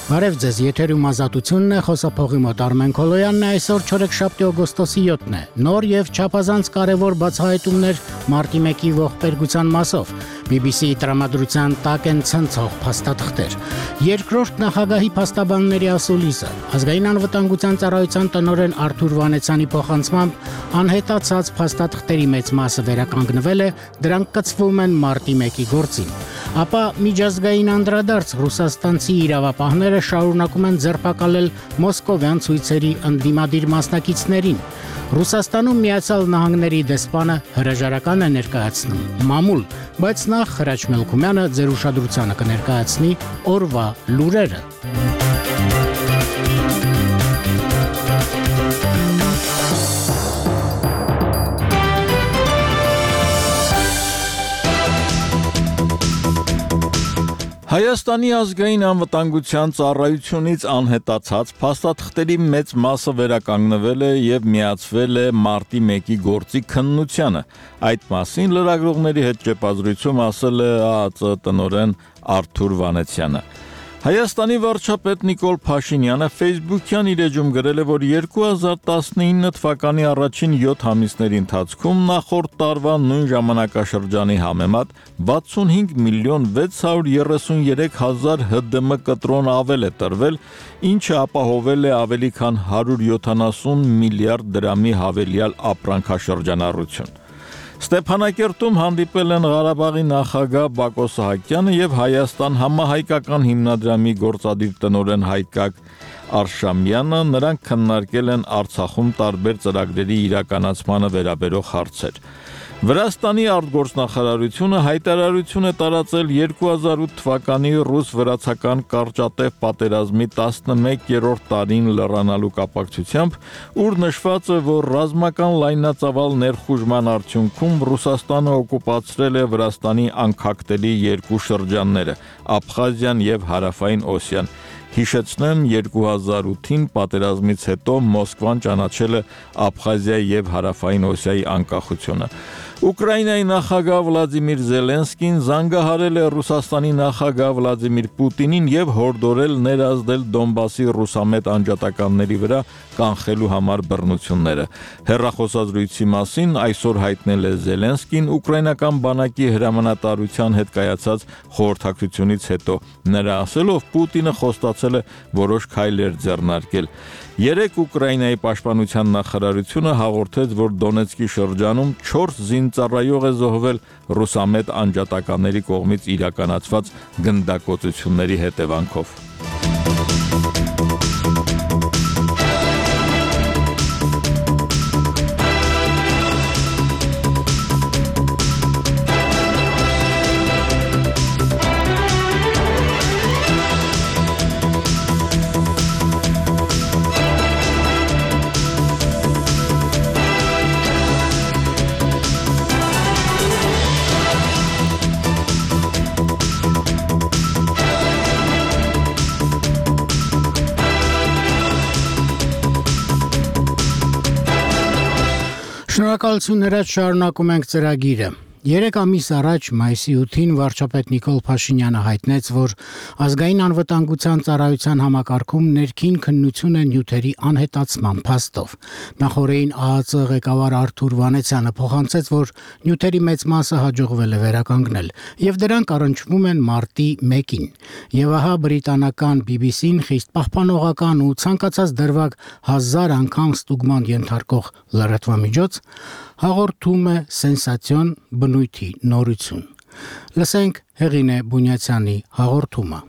Բարև ձեզ, եթերում ազատությունն է, խոսափողի մոտ Արմեն Քոլոյանն է, այսօր չորեքշաբթի օգոստոսի 7-ն է, նոր և չափազանց կարևոր բացահայտումներ մարտի 1-ի ողբերգության մասով, BBC-ի տրամադրության տակ են ցնցող փաստաթղթեր, երկրորդ նախագահի փաստաբանների ասուլիսը, ազգային անվտանգության ծառայության տնօրեն Արթուր Վանեցյանի փոխանցմամբ անհետացած փաստաթղթերի մեծ մասը վերականգնվել է, դրանք կցվում են մարտի 1-ի գործին, ապա միջազգային անդրադարձ ռուսաստանցի իրավապահները շարունակում են ձերբակալել մոսկովյան ցույցերի ընդդիմադիր մասնակիցներին։ Ռուսաստանում Միացյալ Նահանգների դեսպանը հրաժարական է ներկայացնում մամուլ, բայց նախ Հրաչ Մելքումյանը ձեր ուշադրությանը կներկայացնի օրվա լուրերը։ Հայաստանի ազգային անվտանգության ծառայությունից անհետացած փաստաթղթերի մեծ մասը վերականգնվել է և միացվել է մարտի 1-ի գործի քննությանը։ Այդ մասին լրագրողների հետ ճեպազրույցում ասել է ԱԱԾ տնօրեն Արթուր Վանեցյանը։ Հայաստանի վարչապետ Նիկոլ Փաշինյանը Facebook-յան իր էջում գրել է, որ 2019 թվականի առաջին 7 ամիսների ընթացքում նախորդ տարվա նույն ժամանակաշրջանի համեմատ 65 միլիոն 633 հազար ՀԴՄ կտրոն ավել է տրվել, ինչը ապահովել է ավելի քան 170 միլիարդ դրամի հավելյալ ապրանքաշրջանառություն։ Ստեփանակերտում հանդիպել են Ղարաբաղի նախագահ Բակո Սահակյանը և Հայաստան համահայկական հիմնադրամի գործադիր տնօրեն Հայկակ Արշամյանը, նրանք քննարկել են Արցախում տարբեր ծրագրերի իրականացմանը վերաբերող հարցեր։ Վրաստանի արտգործնախարարությունը հայտարարություն է տարածել 2008 թվականի ռուս-վրացական կարճատև պատերազմի 11-րդ տարին լրանալու կապակցությամբ, ուր նշված է, որ ռազմական լայնածավալ ներխուժման արդյունքում Ռուսաստանը օկուպացրել է Վրաստանի անկախտելի երկու շրջանները՝ Աբխազիան և Հարավային Օսիան։ Հիշեցնեմ, 2008-ին պատերազմից հետո Մոսկվան ճանաչել է Աբխազիայի և Հարավային Օսիայի անկախությունը։ Ուկրաինայի նախագահ Վլադիմիր Զելենսկին զանգահարել է Ռուսաստանի նախագահ Վլադիմիր Պուտինին և հորդորել ներազդել Դոնբասի ռուսամետ անջատականների վրա կանխելու համար բռնությունները։ Հեռախոսազրույցի մասին այսօր հայտնել է Զելենսկին ուկրաինական բանակի հրամանատարության հետ կայացած խորհրդակցությունից հետո։ Նրա ասելով Պուտինը խոստացել է որոշ քայլեր ձեռնարկել։ Երեկ Ուկրաինայի պաշտպանության նախարարությունը հաղորդեց, որ Դոնեցկի շրջանում 4 զինծառայող է զոհվել ռուսամետ անջատականների կողմից իրականացված գնդակոծությունների հետևանքով։ Շնորհակալություն, Հրաչ, շարունակում ենք ծրագիրը։ 3 ամիս առաջ մայիսի 8-ին վարչապետ Նիկոլ Փաշինյանը հայտնեց, որ ազգային անվտանգության ծառայության համակարգում ներքին քննություն է նյութերի անհետացման փաստով։ Նախորդին ԱԱԾ ղեկավար Արթուր Վանեցյանը փոխանցեց, որ նյութերի մեծ մասը հաջողվել է վերականգնել, եւ դրանք առնչվում են մարտի 1-ին։ Եվ ահա բրիտանական BBC-ն խիստ պահպանողական ու ցանկացած դրվագ 1000 անգամ ստուգման ենթարկող լրատվամիջոց հաղորդում է սենսացիոն բնույթի նորություն։ Լսենք Հեղինե Բունյացյանի հաղորդումը։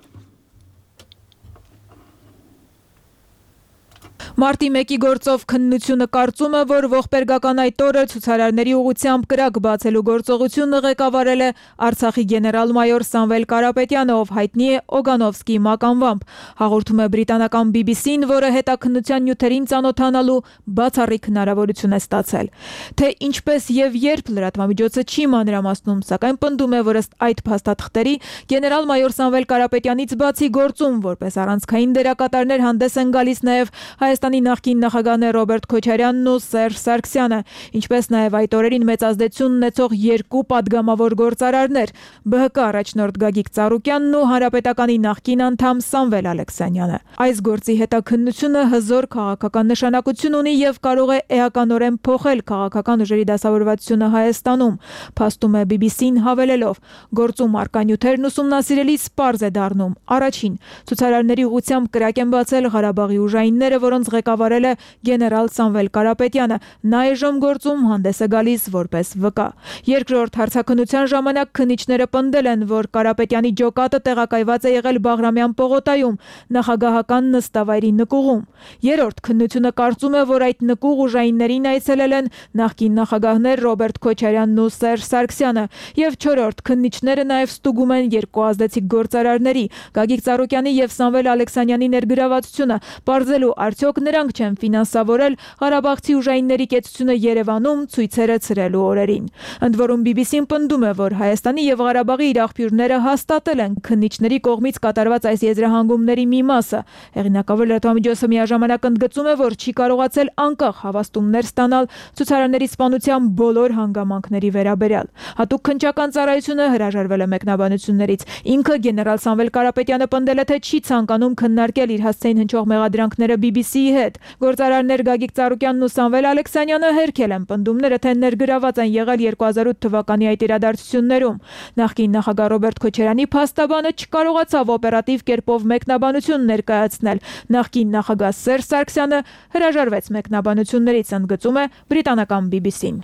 Մարտի 1-ի գործով քննությունը կարծում է, որ ողբերգական այդ օրը ցուցարարների ուղղությամբ կրակ բացելու գործողությունը ղեկավարել է Արցախի գեներալ-մայոր Սամվել Կարապետյանը, ով հայտնի է Օգանովսկիի մականվամբ, հաղորդում է բրիտանական BBC-ն, որը հետաքննության նյութերին ծանոթանալու բացառիկ հնարավորություն է ստացել։ Թե ինչպես եւ երբ լրատվամիջոցը չի մանրամասնում, սակայն պնդում է, որ ըստ այդ փաստաթղթերի գեներալ-մայոր Սամվել Կարապետյանից բացի գործում որպես առանցքային դերակատարներ հանդես են գալիս նաեւ Հայաստանի Հայաստանի նախկին նախագահներ Ռոբերտ Քոչարյանն ու Սերժ Սարգսյանը, ինչպես նաև այդ օրերին մեծ ազդեցություն ունեցող երկու падգամավոր գործարարներ՝ ԲՀԿ առաջնորդ Գագիկ Ծառուկյանն ու Հանրապետականի նախկին անդամ Սամվել Ալեքսանյանը։ Այս գործի հետաքննությունը հզոր քաղաքական նշանակություն ունի եւ կարող է էականորեն փոխել քաղաքական ուժերի դասավորվածությունը Հայաստանում, փաստում է BBC-ն հավելելով. գործում առկա նյութերն ուսումնասիրելիս պարզ է դառնում. առաջին, ցուցարարների ուղղությամբ կրակ են բացել Ղարաբաղի ուժայինները, որոնց ղեկավարել է գեներալ Սամվել Կարապետյանը, նա այժմ գործում հանդես է գալիս որպես վկա։ Երկրորդ, հարցաքննության ժամանակ քննիչները պնդել են, որ Կարապետյանի ջոկատը տեղակայված է եղել Բաղրամյան պողոտայում, նախագահական նստավայրի նկուղում։ Երրորդ, քննությունը կարծում է, որ այդ նկուղ ուժայիններին այցելել են նախկին նախագահներ Ռոբերտ Քոչարյանն ու Սերժ Սարգսյանը։ Եվ չորրորդ, քննիչները նաև ստուգում են երկու ազդեցիկ գործարարների՝ Գագիկ Ծառուկյանի եւ Սամվել Ալեքսանյանի ներգրավվածությունը, պարզելու արդյոք նրանք չեն ֆինանսավորել ղարաբաղցի ուժայինների կեցությունը Երևանում ցույցերը ցրելու օրերին։ Ընդ որում BBC-ն պնդում է, որ Հայաստանի եւ Ղարաբաղի իր աղբյուրները հաստատել են քննիչների կողմից կատարված այս եզրահանգումների մի մասը։ Հեղինակավոր լրատվամիջոցը միաժամանակ ընդգծում է, որ չի կարողացել անկախ հավաստումներ ստանալ ցուցարարների սպանության բոլոր հանգամանքների վերաբերյալ։ Հատուկ քննչական ծառայությունը հրաժարվել է մեկնաբանություններից։ Ինքը գեներալ Սամվել Կարապետյանը պնդել է, թե չի ցանկանում քննարկել իր հասցեին հնչող մեղադրանքները BBC-ի հետ։ Գործարարներ Գագիկ Ծառուկյանն ու Սամվել Ալեքսանյանը հերքել են պնդումները, թե ներգրաված են եղել 2008 թվականի այդ իրադարձություններում։ Նախկին նախագահ Ռոբերտ Քոչարյանի փաստաբանը չկարողացավ օպերատիվ կերպով մեկնաբանություն ներկայացնել։ Նախկին նախագահ Սերժ Սարգսյանը հրաժարվեց մեկնաբանություններից, ընդգծում է բրիտանական BBC-ն։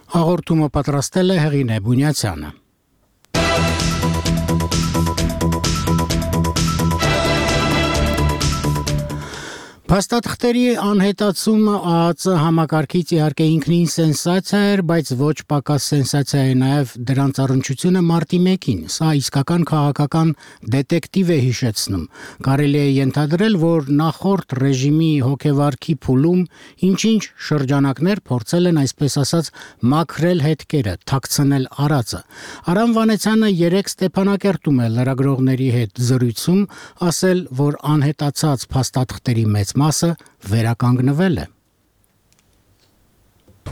Հաղորդումը պատրաստել է Հեղինե Բունյացյանը։ Փաստաթղթերի անհետացումը ԱԱԾ համակարգից իհարկե ինքնին սենսացիա էր, բայց ոչ պակաս սենսացիա է նաև դրանց առնչությունը մարտի 1-ին։ Սա իսկական քաղաքական դետեկտիվ է հիշեցնում։ Կարելի է ենթադրել, որ նախորդ ռեժիմի հոգեվարքի փուլում ինչ-ինչ շրջանակներ փորձել են այսպես ասած մաքրել հետքերը, թաքցնել արածը։ Արամ Վանեցյանը երեք Ստեփանակերտում է լրագրողների հետ զրույցում ասել, որ անհետացած փաստաթղթերի մեծ մասը վերականգնվել է։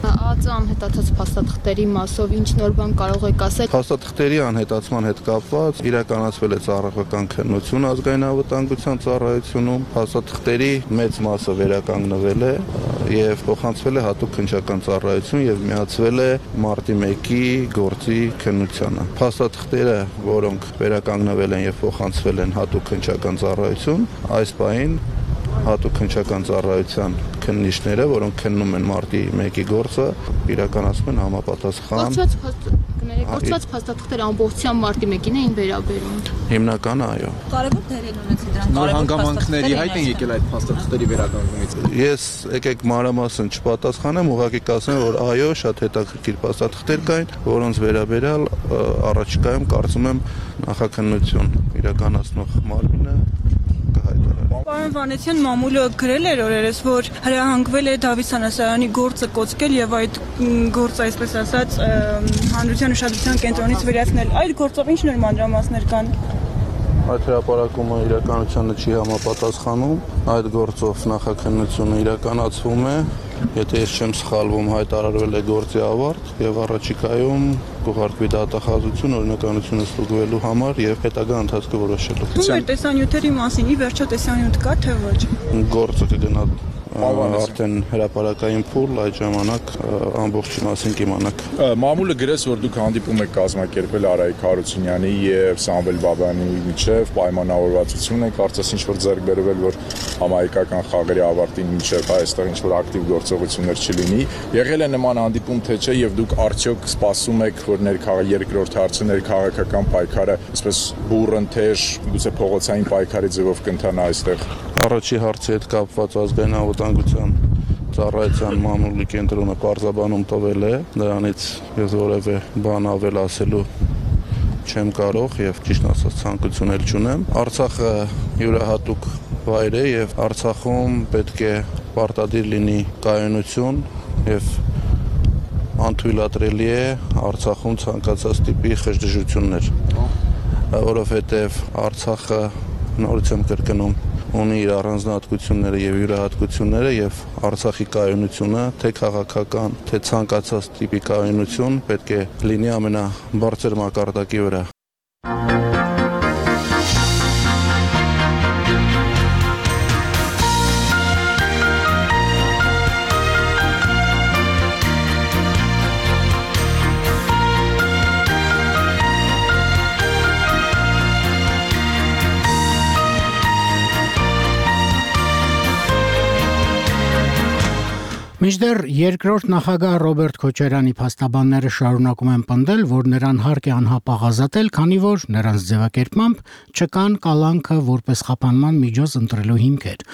ԱԱԾ անհետացած փաստաթղթերի մասով ինչ նոր բան կարող եք ասել։ Փաստաթղթերի անհետացման հետ կապված իրականացվել է ծառայական քննություն ազգային անվտանգության ծառայությունում, փաստաթղթերի մեծ մասը վերականգնվել է եւ փոխանցվել է հատուկ քննչական ծառայություն եւ միացվել է մարտի 1-ի գործի քննությանը։ Փաստաթղթերը, որոնք վերականգնվել են եւ փոխանցվել են հատուկ քննչական ծառայություն, այս պահին հատուկ քննչական ծառայության քննիչները, որոնք քննում են մարտի 1-ի գործը, իրականացնում են համապատասխան։ Կորցված փաստաթղթերը ամբողջությամբ մարտի 1-ին էին վերաբերում։ Հիմնականը այո։ Կարևոր դեր են ունեցել դրանք։ Նոր հանգամանքների հայտ են եկել այդ փաստաթղթերի վերականգնումից։ Ես եկեք մանրամասն չպատասխանեմ, ուղղակի կասեմ, որ այո, շատ հետաքրքիր փաստաթղթեր կային, որոնց վերաբերյալ առաջիկայում կարծում եմ նախաքննություն իրականացնող մարմինը Պարոն Վանեցյան, մամուլը գրել էր օրերս, որ հրահանգվել է Դավիթ Սանասարյանի գործը կոծկել եւ այդ գործը, այսպես ասած, հանրության ուշադրության կենտրոնից վերացնել։ Այդ գործով ինչ նոր մանրամասներ կան։ Այդ հրապարակումը իրականությանը չի համապատասխանում, այդ գործով նախաքննությունը իրականացվում է, եթե ես չեմ սխալվում, հայտարարվել է գործի ավարտ եւ առաջիկայում կուղարկվի դատախազություն օրինականությունը ստուգվելու համար եւ հետագա ընթացքը որոշելու։ Ո՞ր տեսանյութերի մասին, ի վերջո տեսանյութ կա թե ոչ։ Գործը կգնա արդեն հրապարակային փուլ, այդ ժամանակ ամբողջի մասին կիմանաք։ Մամուլը գրեց, որ դուք հանդիպում եք կազմակերպել Արայիկ Հարությունյանի եւ Սամվել Բաբայանի միջև պայմանավորվածություն եք, կարծես ինչ-որ ձեռք բերվել, որ համահայկական խաղերի ավարտին միջև այստեղ ինչ-որ ակտիվ գործողություններ չլինի։ Եղել է նման հանդիպում թե չէ եւ դուք արդյոք սպասում եք, որ երկրորդ հարցը ներքաղաքական պայքարը, այսպես բուրընթեժ, գուցե փողոցային պայքարի ձևով կընթանա այստեղ։ Առաջի հարցի հետ կապված ազգային անվտանգության ծառայության մամուլի կենտրոնը պարզաբանում տվել է, դրանից ես որևէ բան ավել ասելու չեմ կարող եւ ճիշտ ասած ցանկություն էլ չունեմ։ Արցախը յուրահատուկ վայր է եւ Արցախում պետք է պարտադիր լինի կայունություն եւ անթույլատրելի է Արցախում ցանկացած տիպի խժդժություններ, որովհետեւ Արցախը նորից եմ կրկնում ունի իր առանձնահատկությունները եւ յուրահատկությունները եւ Արցախի կայունությունը, թե քաղաքական, թե ցանկացած տիպի կայունություն պետք է լինի ամենաբարձր մակարդակի վրա։ Մինչդեռ երկրորդ նախագահ Ռոբերտ Քոչարյանի փաստաբանները շարունակում են պնդել, որ նրան հարկ է անհապաղ ազատել, քանի որ նրանց ձևակերպմամբ չկան կալանքը որպես խափանման միջոց ընտրելու հիմքեր։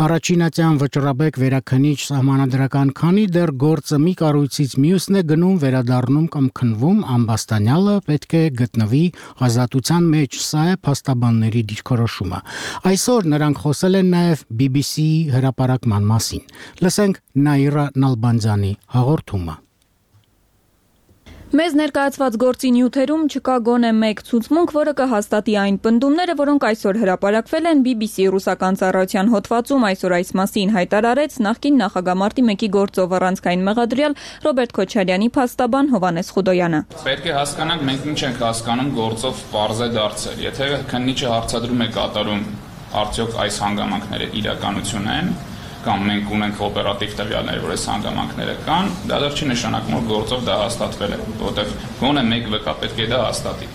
Առաջինատյան վճռաբեկ վերաքնիչ սահմանադրական քանի դեռ գործը մի կառույցից մյուսն է գնում վերադառնում կամ քնվում ամբաստանյալը պետք է գտնվի ազատության մեջ, սա է փաստաբանների դիրքորոշումը։ Այսօր նրանք խոսել են նաև BBC-ի հրապարակման մասին։ Լսենք Նաիրա Նալբանդյանի հաղորդումը։ Մեզ ներկայացված գործի նյութերում չկա գոնե մեկ ցուցմունք, որը կհաստատի այն պնդումները, որոնք այսօր հրապարակվել են BBC ռուսական ծառայության հոդվածում, այսօր այս մասին հայտարարեց նախկին նախագահ Մարտի 1-ի գործով առանցքային մեղադրյալ Ռոբերտ Քոչարյանի փաստաբան Հովհաննես Խուդոյանը։ Պետք է հասկանանք, մենք ինչ ենք հասկանում գործով պարզ է դարձել։ Եթե քննիչը հարցադրում է կատարում, արդյոք այս հանգամանքները իրականություն են, կամ մենք ունենք օպերատիվ տվյալներ, որ այս հանգամանքները կան, դա դեռ չի նշանակում, որ գործով դա հաստատվել է, որտեղ գոնե մեկ վկա պետք է դա հաստատի։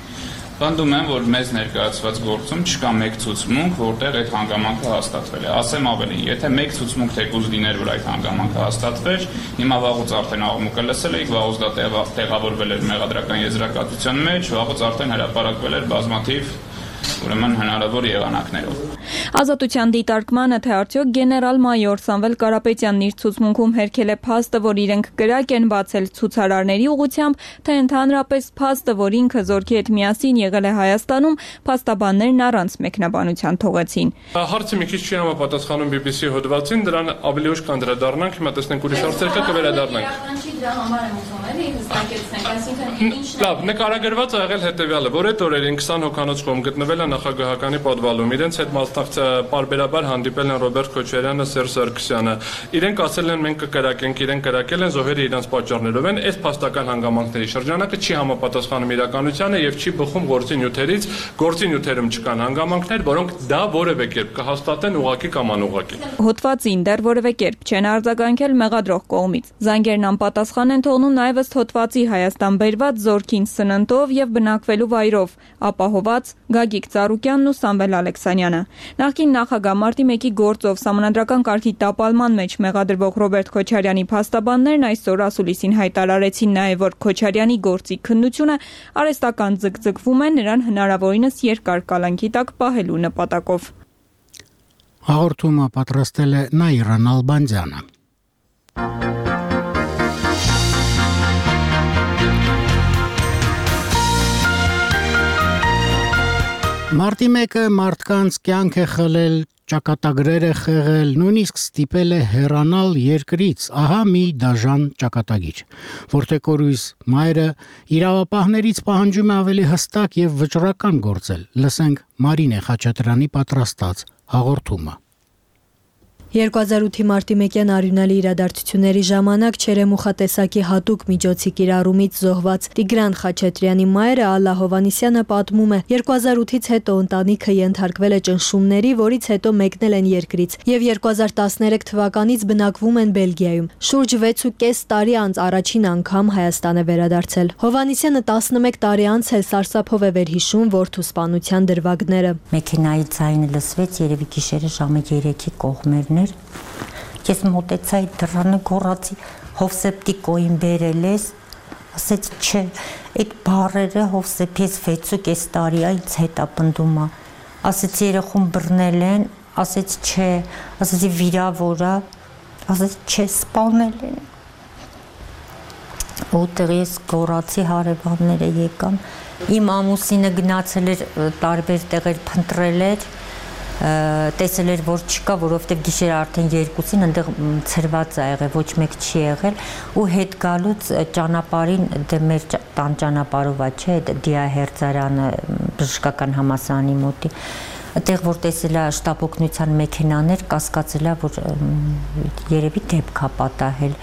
Պնդում եմ, որ մեզ ներկայացված գործում չկա մեկ ցուցմունք, որտեղ այդ հանգամանքը հաստատվել է։ Ասեմ ավելին, եթե մեկ ցուցմունք թեկուզ լիներ, որ այդ հանգամանքը հաստատվեր, հիմա վաղուց արդեն աղմուկը լսել էիք, վաղուց դա տեղավորվել էր մեղադրական եզրակացության մեջ, վաղուց արդեն հրապարակվել էր բազմաթիվ ուրեմն հնարավոր եղանակներով։ Ազատության դիտարկմանը, թե արդյոք գեներալ-մայոր Սամվել Կարապետյանն իր ցուցմունքում հերքել է փաստը, որ իրենք կրակ են բացել ցուցարարների ուղղությամբ, թե ընդհանրապես փաստը, որ ինքը զորքի հետ միասին եղել է Հայաստանում, փաստաբաններն առանց մեկնաբանության թողեցին։ Հարցը մի քիչ չի համապատասխանում BBC հոդվածին, դրան ավելի ուշ կանդրադառնանք, հիմա տեսնենք ուրիշ հարցեր կա կվերադառնանք։ Լավ, նկարագրված ա եղել հետևյալը, որ այդ օրերին 20 հոգանոց խումբ գտնվել է նախագահականի պատվալում, իրենց հետ պարբերաբար հանդիպել են Ռոբերտ Քոչարյանը, Սերժ Սարգսյանը։ Իրենք ասել են մենք կկրակենք, իրենք կրակել են, զոհերը իրենց պատճառներով են, այս փաստական հանգամանքների շրջանակը չի համապատասխանում իրականությանը եւ չի բխում գործի նյութերից, գործի նյութերում չկան հանգամանքներ, որոնք դա որևէ կերպ կհաստատեն ուղղակի կամ անուղղակի։ Հոդվածին դեռ որևէ կերպ չեն արձագանքել մեղադրող կողմից։ Զանգերն անպատասխան են թողնում նաև ըստ հոդվածի Հայաստան բերված զորքին սննդով եւ բնակվելու վայրով, ապահոված Գագիկ Ծառուկյանն ու Սամվել Ալեքսանյանը։ Նախկին նախագահ Մարտի 1-ի գործով սահմանադրական կարգի տապալման մեջ մեղադրվող Ռոբերտ Քոչարյանի փաստաբաններն այսօր ասուլիսին հայտարարեցին նաև, որ Քոչարյանի գործի քննությունը արհեստական ձգձգվում է նրան հնարավորինս երկար կալանքի տակ պահելու նպատակով։ Հաղորդումը պատրաստել է Նաիրա Նալբանդյանը։ Մարտի 1-ը մարդկանց կյանք է խլել, ճակատագրեր է խեղել, նույնիսկ ստիպել է հեռանալ երկրից, ահա մի դաժան ճակատագիր, որտեղ կորույս մայրը իրավապահներից պահանջում է ավելի հստակ եւ վճռական գործել։ Լսենք Մարինե Խաչատրյանի պատրաստած հաղորդումը։ 2008-ի մարտի 1-յան արյունալի իրադարձությունների ժամանակ Չերեմուխա տեսակի հատուկ միջոցի կիրառումից զոհված Տիգրան Խաչատրյանի մայրը Ալլա Հովհաննիսյանը պատմում է. 2008-ից հետո ընտանիքը ենթարկվել է ճնշումների, որից հետո մեկնել են երկրից եւ 2013 թվականից բնակվում են Բելգիայում։ Շուրջ 6.5 տարի անց առաջին անգամ Հայաստան է վերադարձել։ Հովհաննիսյանը 11 տարի անց էլ սարսափով է վերհիշում որդու սպանության դրվագները։ Մեքենայի ձայնը լսվեց, երևի գիշերը ժամը 3-ի կողմերն էր։ Ես մոտեցա այդ դռանը, գոռացի Հովսեփտիկոին բերել ես, ասեց չէ, այդ բառերը Հովսեփ ես 6.5 տարի է ինձ հետապնդում է, ասեց երեխուն բռնել են, ասեց չէ, ասեցի վիրավոր է, ասեց չէ, սպանել են։ Որտեղ ես գոռացի, հարևանները եկան, իմ ամուսինը գնացել էր տարբեր տեղեր փնտրել էր, տեսել էր, որ չկա, որովհետև գիշերը արդեն 2-ին այնտեղ ցրված է եղել, ոչ մեկ չի եղել ու հետ գալուց ճանապարհին դե մեր տան ճանապարհով է, չէ, Դիա Հերձարյանը բժշկական համալսարանի մոտի Այդտեղ որ տեսել է շտաբ օգնության մեքենաներ, կասկածել է, որ երևի դեպք է պատահել։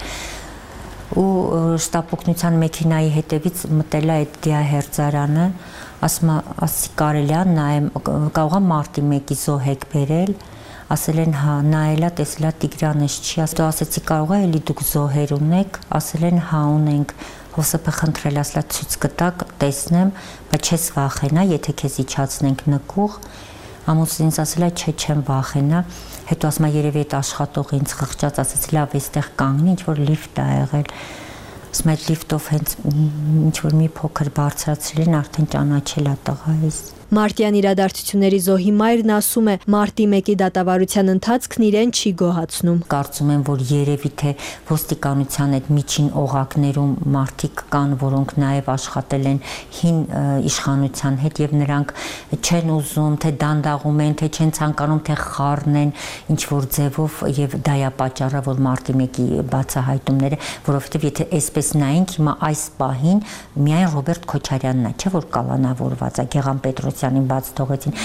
Ու շտաբ օգնության մեքենայի հետևից մտել է այդ դիահերձարանը, ասում ասի կարելի է նայեմ, կարող է մարտի 1-ի զոհ եք բերել, ասել են հա, նայելա, տեսելա Տիգրանես չի, ասեցի կարող է էլի դուք զոհեր ունեք, ասել են հա ունենք, Հոսեփը խնդրել ասլա ցույց կտակ, տեսնեմ, բայց չես վախենա, եթե քեզ իջացնենք նկուղ, ամուսինս ասել է չէ, չեմ վախենա, հետո ասում է երևի այդ աշխատողը ինձ խղճած, ասեց լավ, այստեղ կանգնի, ինչ որ լիֆտ ա եղել, ասում է լիֆտով հենց ինչ որ մի փոքր բարձրացրել են, արդեն ճանաչել է տղայիս։ Մարտյան իրադարձությունների զոհի մայրն ասում է, մարտի 1-ի դատավարության ընթացքն իրեն չի գոհացնում։ Կարծում եմ, որ երևի թե ոստիկանության այդ միջին օղակներում մարդիկ կան, որոնք նաև աշխատել են հին իշխանության հետ եւ նրանք չեն ուզում, թե դանդաղում են, թե չեն ցանկանում, թե խառնեն ինչ որ ձևով եւ դա է պատճառը, որ մարտի 1-ի բացահայտումները, որովհետեւ եթե այսպես նայենք հիմա այս պահին միայն Ռոբերտ Քոչարյանն է, չէ՞ որ կալանավորված է, Գեղամ Պետրոսյանին բաց թողեցին։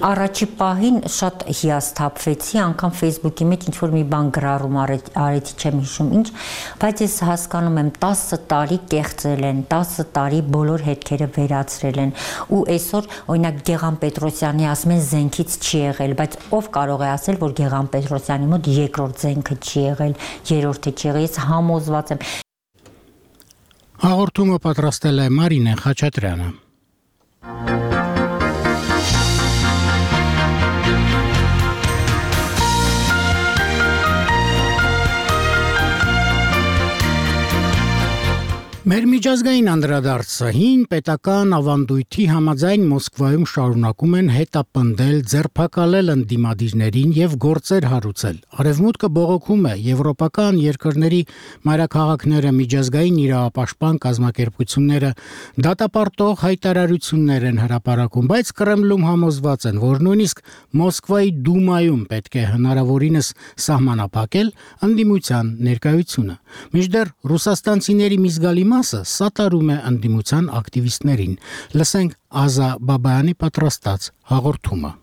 Առաջի պահին շատ հիասթափվեցի, անգամ Facebook-ի մեջ ինչ որ մի բան գրառում արեցի, չեմ հիշում ինչ, բայց ես հասկանում եմ 10 տարի կեղծել են, 10 տարի բոլոր հետքերը վերացրել են ու այսօր օրինակ Գեղամ Պետրոսյանի ասում են զենքից չի եղել, բայց ով կարող է ասել, որ Գեղամ Պետրոսյանի մոտ երկրորդ զենքը չի եղել, երրորդը չի եղել, ես համոզված եմ։ Հաղորդումը պատրաստել է Մարինե Խաչատրյանը։ Մեր միջազգային անդրադարձը հին պետական ավանդույթի համաձայն Մոսկվայում շարունակում են հետապնդել, ձերբակալել ընդդիմադիրներին եւ գործեր հարուցել։ Արևմուտքը բողոքում է եվրոպական երկրների մայրաքաղաքները, միջազգային իրավապաշտպան կազմակերպությունները դատապարտող հայտարարություններ են հրապարակում, բայց Կրեմլում համոզված են, որ նույնիսկ Մոսկվայի դումայում պետք է հնարավորինս սահմանափակել ընդդիմության ներկայությունը։ Մինչդեռ ռուսաստանցիների մի զգալի մասը սատարում է ընդդիմության ակտիվիստներին։ Լսենք Ազա Բաբայանի պատրաստած հաղորդումը։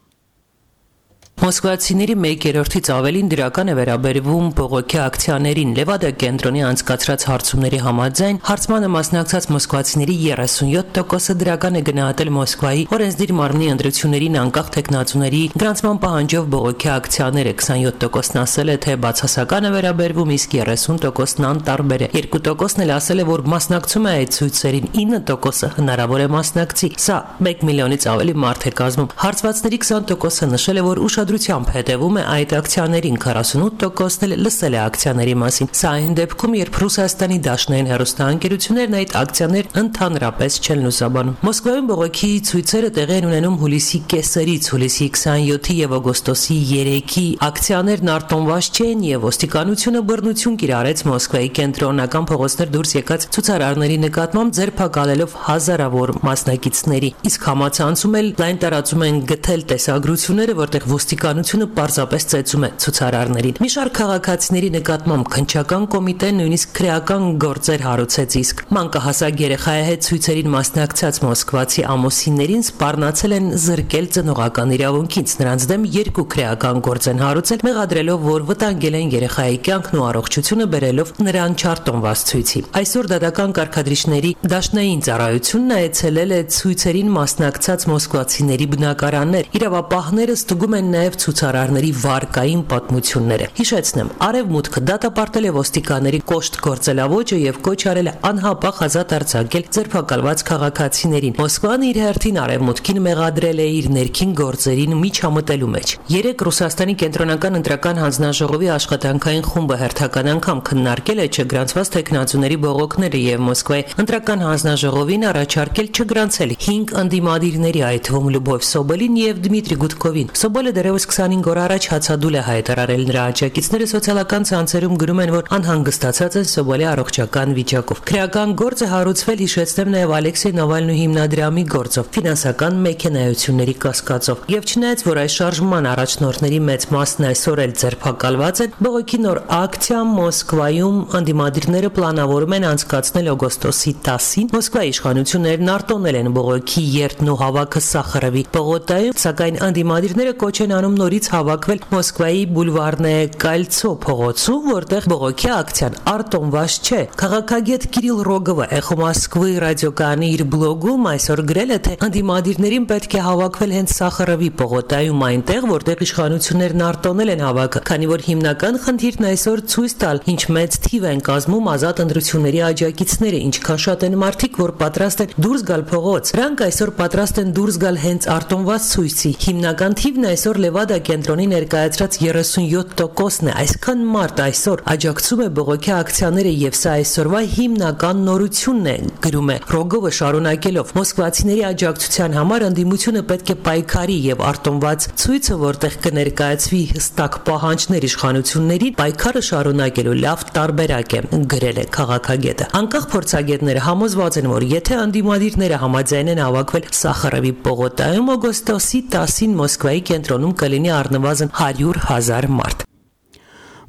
Մոսկվացիների 1/3-ից ավելին դրական է վերաբերվում բողոքի ակցիաներին։ Լևադա կենտրոնի անցկացրած հարցումների համաձայն հարցմանը մասնակցած մոսկվացիների 37%-ը դրական է գնահատել Մոսկվայի օրենսդիր մարմնի ընտրություններին անկախ թեկնածուների գրանցման պահանջով բողոքի ակցիաները, 27%-ն ասել է, թե բացասական է վերաբերվում, իսկ 30%-ն անտարբեր է։ 2%-ն էլ ասել է, որ մասնակցում է այդ ցույցերին, 9%-ը հնարավոր է մասնակցի։ Սա 1 միլիոնից ավելի մարդ է կազմում։ Հարցվածների 20%-ը նշել է, որ ուշադրությամբ հետևում է այդ ակցիաներին, 48%-ն էլ լսել է ակցիաների մասին։ Սա այն դեպքում, երբ Ռուսաստանի դաշնային հեռուստաընկերություններն այդ ակցիաներ ընդհանրապես չեն լուսաբանում։ Մոսկվայում բողոքի ցույցերը տեղի են ունենում հուլիսի կեսերից, հուլիսի 27-ի եւ օգոստոսի 3-ի ակցիաներն արտոնված չեն եւ ոստիկանությունը բռնություն կիրառեց Մոսկվայի կենտրոնական փողոցներ դուրս եկած ցուցարարների նկատմամբ, ձերբակալելով հազարավոր մասնակիցների։ Իսկ համացանցում էլ լայն տարածում են գտել տեսագրությունները, որտեղ ոստիկանությունը պարզապես ծեծում է ցուցարարներին։ Մի շարք քաղաքացիների նկատմամբ քննչական կոմիտեն նույնիսկ քրեական գործեր հարուցեց, իսկ մանկահասակ երեխայի հետ ցույցերին մասնակցած մոսկվացի ամուսիններին սպառնացել են զրկել ծնողական իրավունքից։ Նրանց դեմ 2 քրեական գործ են հարուցել, մեղադրելով, որ վտանգել են երեխայի կյանքն ու առողջությունը, բերելով նրան չարտոնված ցույցի։ Այսօր դատական կարգադրիչների դաշնային ծառայությունն այցելել է ցույցերին մասնակցած մոսկվացիների բնակարաններ։ Իրավապահները ստուգում են նաև ցուցարարների վարկային պատմությունները։ Հիշեցնեմ, Արևմուտքը դատապարտել է ոստիկանների կոշտ գործելավոճը եւ կոչ արել է անհապաղ ազատ արձակել ձերբակալված քաղաքացիներին։ Մոսկվան իր հերթին Արևմուտքին մեղադրել է իր ներքին գործերին միջամտելու մեջ։ 3 Ռուսաստանի կենտրոնական ընտրական հանձնաժողովի աշխատանքային խումբը հերթական անգամ քննարկել է չգրանցված տեխնացուների բողոքները եւ Մոսկվայի ընտրական հանձնաժողովին առաջարկել չգրանցել 5 ընդդիմադիրների, այդ թվում Լյուբով Սոբոլին եւ Դմիտրի Գուդկովին։ Սոբոլը դեռևս դեռևս 25 օր առաջ հացադուլ է հայտարարել նրա աջակիցները սոցիալական ցանցերում գրում են, որ անհանգստացած են Սոբոլի առողջական վիճակով։ Քրեական գործը հարուցվել, հիշեցնեմ, նաև Ալեքսեյ Նավալնուի հիմնադրամի գործով, ֆինանսական մեքենայությունների կասկածով։ Եվ չնայած որ այս շարժման առաջնորդների մեծ մասն այսօր էլ ձերբակալված են, բողոքի նոր ակցիա Մոսկվայում անդիմադիրները պլանավորում են անցկացնել օգոստոսի 10-ին։ Մոսկվայի իշխանություններն արտոնել են բողոքի երթն ու հավաքը Սախարովի պողոտայում, սակայն անդիմադիրները կոչ են անում նորից հավաքվել Մոսկվայի Բուլվարնե Կալցո փողոցում, որտեղ բողոքի ակցիան արտոնված չէ։ Քաղաքագետ Կիրիլ Ռոգովը Էխո Մոսկվայի ռադիոկայանի իր բլոգում այսօր գրել է, թե անդիմադիրներին պետք է հավաքվել հենց Սախարովի պողոտայում, այնտեղ, որտեղ իշխանություններն արտոնել են հավաքը, քանի որ հիմնական խնդիրն այսօր ցույց տալ, ինչ մեծ թիվ են կազմում ազատ ընտրությունների աջակիցները, ինչքան շատ են մարդիկ, որ պատրաստ են դուրս գալ փողոց։ Նրանք այսօր պատրաստ են դուրս գալ հենց արտոնված ցույցի։ Հիմնական թիվն այսօր Լևադա կենտրոնի ներկայացրած 37%-ն է։ Այսքան մարդ այսօր աջակցում է բողոքի ակցիաները եւ սա այսօրվա հիմնական նորությունն է, գրում է Ռոգովը շարունակելով. Մոսկվացիների աջակցության համար ընդդիմությունը պետք է պայքարի եւ արտոնված ցույցը, որտեղ կներկայացվի հստակ պահանջներ իշխանություններին, պայքարը շարունակելու լավ տարբերակ է, գրել է քաղաքագետը։ Անկախ փորձագետները համոզված են, որ եթե անդիմադիրները համաձայնեն հավաքվել Սախարովի պողոտայում օգոստոսի 10-ին Մոսկվայի կենտրոնում կլինի առնվազն 100,000 մարդ։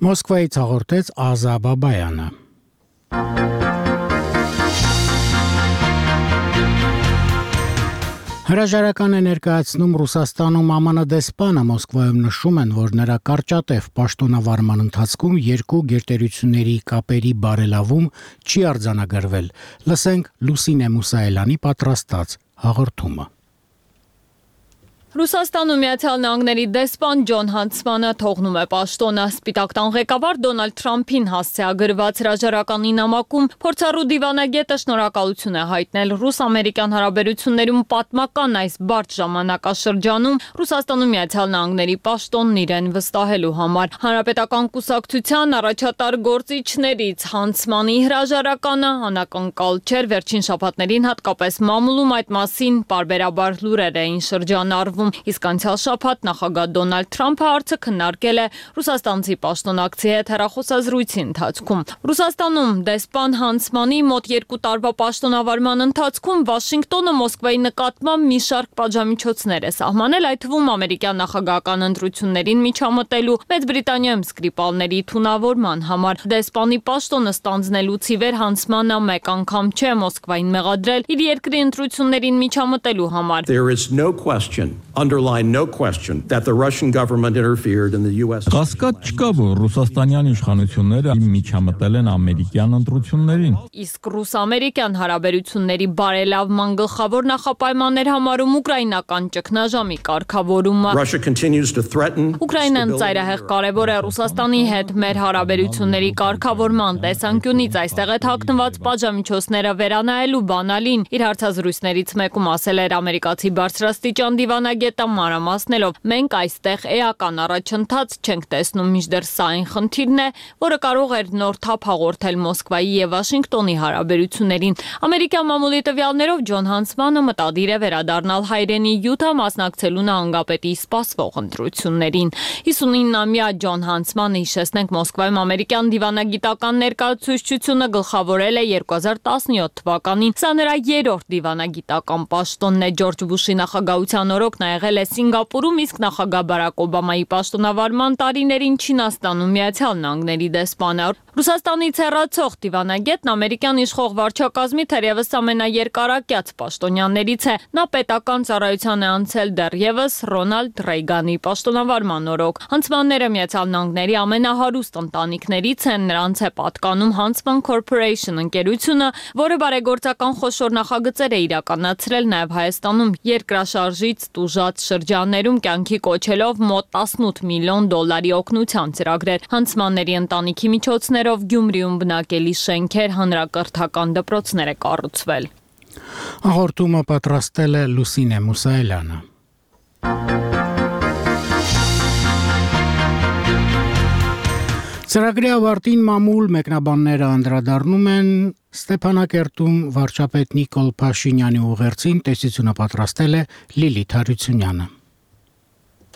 Մոսկվայից հաղորդեց Ազա Բաբայանը։ Հրաժարական է ներկայացնում Ռուսաստանում ԱՄՆ դեսպանը, Մոսկվայում նշում են, որ նրա կարճատև պաշտոնավարման ընթացքում երկու գերտերությունների կապերի բարելավում չի արձանագրվել։ Լսենք Լուսինե Մուսայելյանի պատրաստած հաղորդումը։ Ռուսաստանում Միացյալ Նահանգների դեսպան Ջոն Հանցմանը թողնում է պաշտոնը։ Սպիտակ տան ղեկավար Դոնալդ Թրամփին հասցեագրված հրաժարականի նամակում փորձառու դիվանագետը շնորհակալություն է հայտնել ռուս-ամերիկյան հարաբերություններում պատմական այս բարդ ժամանակաշրջանում Ռուսաստանում Միացյալ Նահանգների պաշտոնն իրեն վստահելու համար։ Հանրապետական կուսակցության առաջատար գործիչներից Հանցմանի հրաժարականը անակնկալ չէր, վերջին շաբաթներին հատկապես մամուլում այդ մասին պարբերաբար լուրեր էին շրջանառվում։ Իսկ անցյալ շաբաթ նախագահ Դոնալդ Թրամփը հարցը քննարկել է ռուսաստանցի պաշտոնակցի հետ հեռախոսազրույցի ընթացքում։ Ռուսաստանում դեսպան Հանցմանի մոտ 2 տարվա պաշտոնավարման ընթացքում Վաշինգտոնը Մոսկվայի նկատմամբ մի շարք պատժամիջոցներ է սահմանել, այդ թվում ամերիկյան նախագահական ընտրություններին միջամտելու, Մեծ Բրիտանիայում սկրիպալների թունավորման համար։ Դեսպանի պաշտոնը ստանձնելուց ի վեր Հանցմանը մեկ անգամ չէ Մոսկվային մեղադրել իր երկրի ընտրություններին միջամտելու համար։ There is no question, underline no question, that the Russian government interfered in the US. Կասկած չկա, որ ռուսաստանյան իշխանությունները միջամտել են ամերիկյան ընտրություններին։ Իսկ ռուս-ամերիկյան հարաբերությունների բարելավման գլխավոր նախապայմաններ համարում ուկրաինական ճգնաժամի կարգավորումը։ Russia continues to threaten. Ուկրաինան ծայրահեղ կարևոր է Ռուսաստանի հետ մեր հարաբերությունների կարգավորման տեսանկյունից, այստեղ է թաքնված պատժամիջոցները վերանայելու բանալին։ Իր հարցազրույցներից մեկում ասել էր ամերիկացի բարձրաստիճան դիվանագետը մանրամասնելով. մենք այստեղ էական առաջընթաց չենք տեսնում, մինչդեռ սա այն խնդիրն է, որը կարող էր նոր թափ հաղորդել Մոսկվայի եւ Վաշինգտոնի հարաբերություններին։ Ամերիկյան մամուլի տվյալներով Ջոն Հանցմանը մտադիր է վերադառնալ հայրենի Յուտա մասնակցելու նահանգապետի սպասվող ընտրություններին։ 59-ամյա Ջոն Հանցմանը, հիշեցնենք, Մոսկվայում ամերիկյան դիվանագիտական ներկայացուցչությունը գլխավորել է 2017 թվականին։ Սա նրա երրորդ դիվանագիտական պաշտոնն է։ Ջորջ Բուշի նախագահության օրոք նա եղել է Սինգապուրում, իսկ նախագահ Բարակ Օբամայի պաշտոնավարման տարիներին Չինաստանում Միացյալ Նահանգների դեսպանը։ Ռուսաստանից հեռացող դիվանագետն ամերիկյան իշխող վարչակազմի թերևս ամենաերկարակյաց պաշտոնյաներից է։ Նա պետական ծառայության է անցել դեռևս Ռոնալդ Ռեյգանի պաշտոնավարման օրոք։ Հանցմանները Միացյալ Նահանգների ամենահարուստ ընտանիքներից են, նրանց է պատկանում Huntsman Corporation ընկերությունը, որը բարեգործական խոշոր նախագծեր է իրականացրել նաև Հայաստանում երկրաշարժից տուժած շրջաններում, կյանքի կոչելով մոտ 18 միլիոն դոլարի օգնության ծրագրեր։ Հանցմանների ընտանիքի միջոցներով Գյումրիում բնակելի շենքեր, հանրակրթական դպրոցներ է կառուցվել։ Հաղորդումը պատրաստել է Լուսինե Մուսայելյանը։ Ծրագրի ավարտին մամուլ մեկնաբանները անդրադառնում են Ստեփանակերտում վարչապետ Նիկոլ Փաշինյանի ուղերձին, տեսությունը պատրաստել է Լիլիթ Հարությունյանը։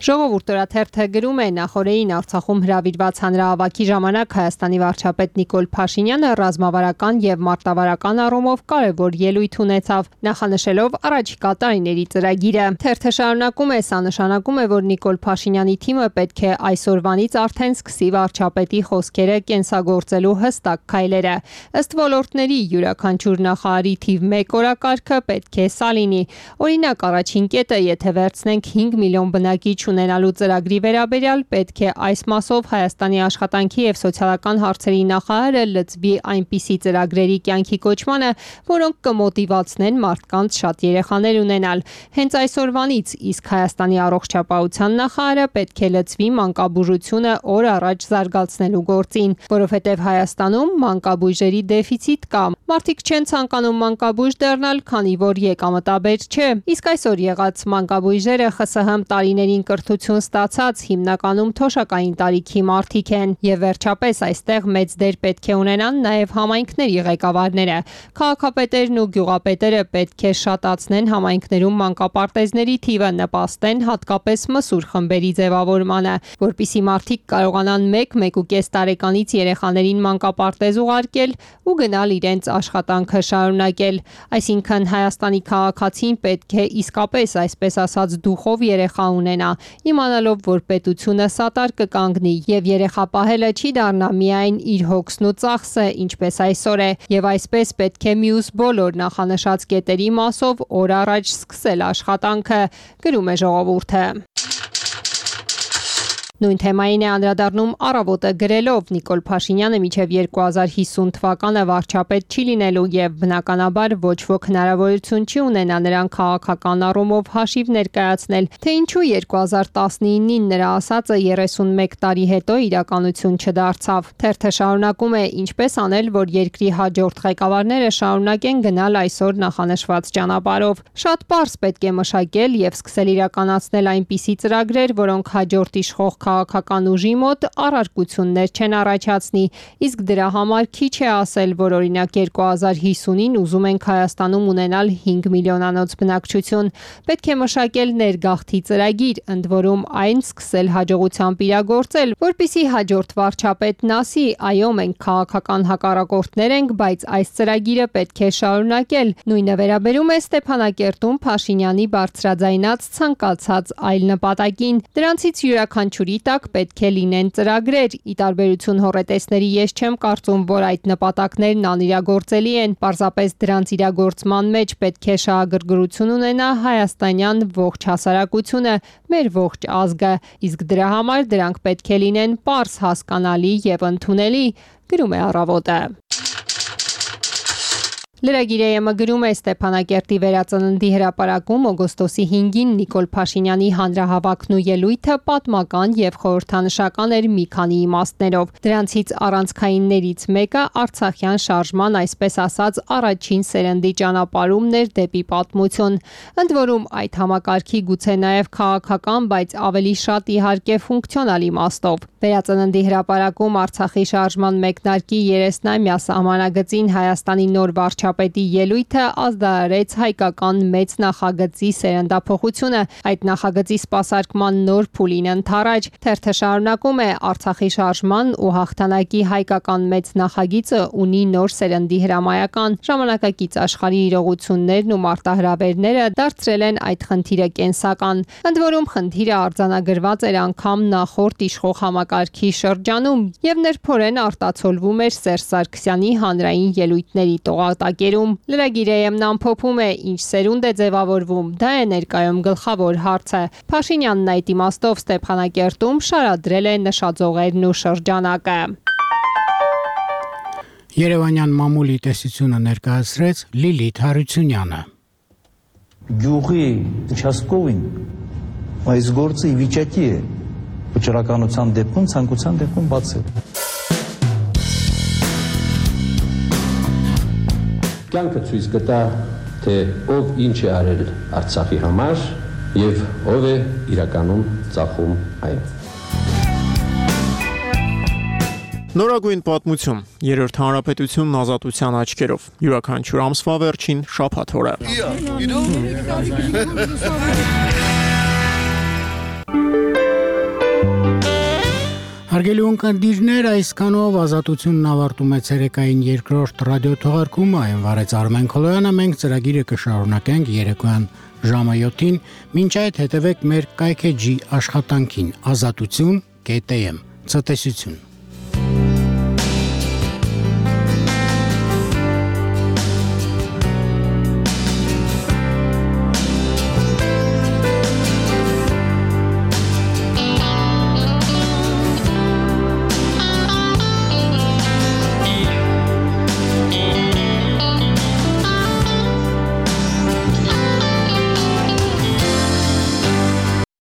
Ժողովուրդ օրաթերթը գրում է նախորդին Արցախում հրավիրված հանրահավաքի ժամանակ Հայաստանի վարչապետ Նիկոլ Փաշինյանը ռազմավարական եւ մարտավարական առումով կարևոր ելույթ ունեցավ, նախանշելով առաջիկա տարիների ծրագիրը։ Թերթը շարունակում է, սա նշանակում է, որ Նիկոլ Փաշինյանի թիմը պետք է այսօրվանից արդեն սկսի վարչապետի խոսքերը կենսագործելու հստակ քայլերը։ Ըստ ոլորտների յուրաքանչյուր նախարարի թիվ 1 օրակարգը պետք է սա լինի։ Օրինակ, առաջին կետը, եթե վերցնենք 5 միլիոն բնակիչ ունենալու ծրագրի վերաբերյալ պետք է այս մասով Հայաստանի աշխատանքի եւ սոցիալական հարցերի նախարարը լծվի այնպիսի ծրագրերի կյանքի կոչմանը, որոնք կմոտիվացնեն մարդկանց շատ երեխաներ ունենալ։ Հենց այսօրվանից, իսկ Հայաստանի առողջապահության նախարարը պետք է լծվի մանկաբուժությունը օր առաջ զարգացնելու գործին, որովհետեւ Հայաստանում մանկաբույժերի դեֆիցիտ կա։ Մարդիկ չեն ցանկանում մանկաբույժ դառնալ, քանի որ եկամտաբեր չէ։ Իսկ այսօր եղած մանկաբույժերը ԽՍՀՄ տարիներին կրթություն ստացած հիմնականում թոշակային տարիքի մարդիկ են, եւ վերջապես այստեղ մեծ դեր պետք է ունենան նաեւ համայնքների ղեկավարները։ Քաղաքապետերն ու գյուղապետերը պետք է շատացնեն համայնքներում մանկապարտեզների թիվը, նպաստեն հատկապես մսուր խմբերի ձևավորմանը, որպիսի մարդիկ կարողանան 1-1.5 տարեկանից երեխաներին մանկապարտեզ ուղարկել ու գնալ իրենց աշխատանքը շարունակել։ Այսինքն Հայաստանի քաղաքացին պետք է իսկապես, այսպես ասած, դուխով երեխա ունենա, իմանալով, որ պետությունը սատար կկանգնի եւ երեխա պահելը չի դառնա միայն իր հոգսն ու ծախսը, ինչպես այսօր է, եւ այսպես պետք է մյուս բոլոր նախանշած կետերի մասով օր առաջ սկսել աշխատանքը, գրում է ժողովուրդը։ Նույն թեմային է անդրադառնում Առավոտը գրելով Նիկոլ Փաշինյանը մինչև 2050 թվականը վարչապետ չի լինելու եւ բնականաբար ոչ ոք հնարավորություն չի ունենա նրան քաղաքական առումով հաշիվ ներկայացնել, թե ինչու 2019-ին նրա ասածը 31 տարի հետո իրականություն չդարձավ։ Թերթը շարունակում է, ինչպես անել, որ երկրի հաջորդ ղեկավարները շարունակեն գնալ այսօր նախանշված ճանապարհով։ Շատ պարզ պետք է մշակել եւ սկսել իրականացնել այնպիսի ծրագրեր, որոնք հաջորդ իշխող քաղաքական ուժի մոտ առարկություններ չեն առաջացնի, իսկ դրա համար քիչ է ասել, որ օրինակ 2050-ին ուզում ենք Հայաստանում ունենալ 5 միլիոնանոց բնակչություն։ Պետք է մշակել ներգաղթի ծրագիր, ընդ որում այն սկսել հաջողությամբ իրագործել, որպիսի հաջորդ վարչապետն ասի, այո, մենք քաղաքական հակառակորդներ ենք, բայց այս ծրագիրը պետք է շարունակել։ Նույնը վերաբերում է Ստեփանակերտում Փաշինյանի բարձրաձայնած ցանկացած այլ նպատակին։ Դրանցից յուրաքանչյուրի տակ պետք է լինեն ծրագրեր։ Ի տարբերություն հոռետեսների, ես չեմ կարծում, որ այդ նպատակներն անիրագործելի են։ Պարզապես դրանց իրագործման մեջ պետք է շահագրգռություն ունենա հայաստանյան ողջ հասարակությունը, մեր ողջ ազգը, իսկ դրա համար դրանք պետք է լինեն պարզ, հասկանալի եւ ընդունելի, գրում է Առավոտը։ Լրագիրը գրում է Ստեփանակերտի վերածննդի հրապարակում օգոստոսի 5-ին Նիկոլ Փաշինյանի հանրահավաքն ու ելույթը պատմական եւ խորհրդանշական էր մի քանի իմաստներով։ Դրանցից առանցքայիններից մեկը Արցախյան շարժման, այսպես ասած, առաջին սերնդի ճանապարհումն էր դեպի պատմություն։ Ընդ որում այդ համակարգի գուցե նաեւ քաղաքական, բայց ավելի շատ իհարկե ֆունկցիոնալ իմաստով։ Վերածննդի հրապարակում Արցախի շարժման մեկնարկի 30-ամյա սահմանագծին Հայաստանի նոր վարչապետի ելույթը ազդարարեց հայկական մեծ նախագծի սերնդափոխությունը, այդ նախագծի սպասարկման նոր փուլին ընթառաջ։ Թերթը շարունակում է, Արցախի շարժման ու հաղթանակի հայկական մեծ նախագիծը ունի նոր սերնդի հրամայական, ժամանակակից աշխարհի իրողություններն ու մարտահրավերները դարձրել են այդ խնդիրը կենսական։ Ընդ որում խնդիրը արձանագրված էր անգամ նախորդ իշխող համակարգի շրջանում եւ ներփորեն արտացոլվում էր Սերժ Սարգսյանի հանրային ելույթների տողատակերում։ Լրագիրը ամփոփում է, ինչ սերունդ է ձևավորվում, դա է ներկայում գլխավոր հարցը։ Փաշինյանն այդ իմաստով Ստեփանակերտում շարադրել է նշաձողերն ու շրջանակը։ Երևանյան մամուլի տեսությունը ներկայացրեց Լիլիթ Հարությունյանը։ Գյուղի участковին այս գործը ի վիճակի է վճռականության դեպքում, ցանկության դեպքում բացել։ Կյանքը ցույց կտա, թե ով ինչ է արել Արցախի համար եւ ով է իրականում ծախում այն։ Նորագույն պատմություն, երրորդ հանրապետությունն ազատության աչքերով, յուրաքանչյուր ամսվա վերջին շաբաթ օրը։ Հարգելի ունկնդիրներ, այսքանով Ազատությունն ավարտում է ցերեկային երկրորդ ռադիոթողարկումը, այն վարեց Արմեն Քոլոյանը, մենք ծրագիրը կշարունակենք երեկոյան ժամը 7-ին, մինչ այդ հետևեք մեր կայքեջի աշխատանքին, azatutsun.am, ցտեսություն։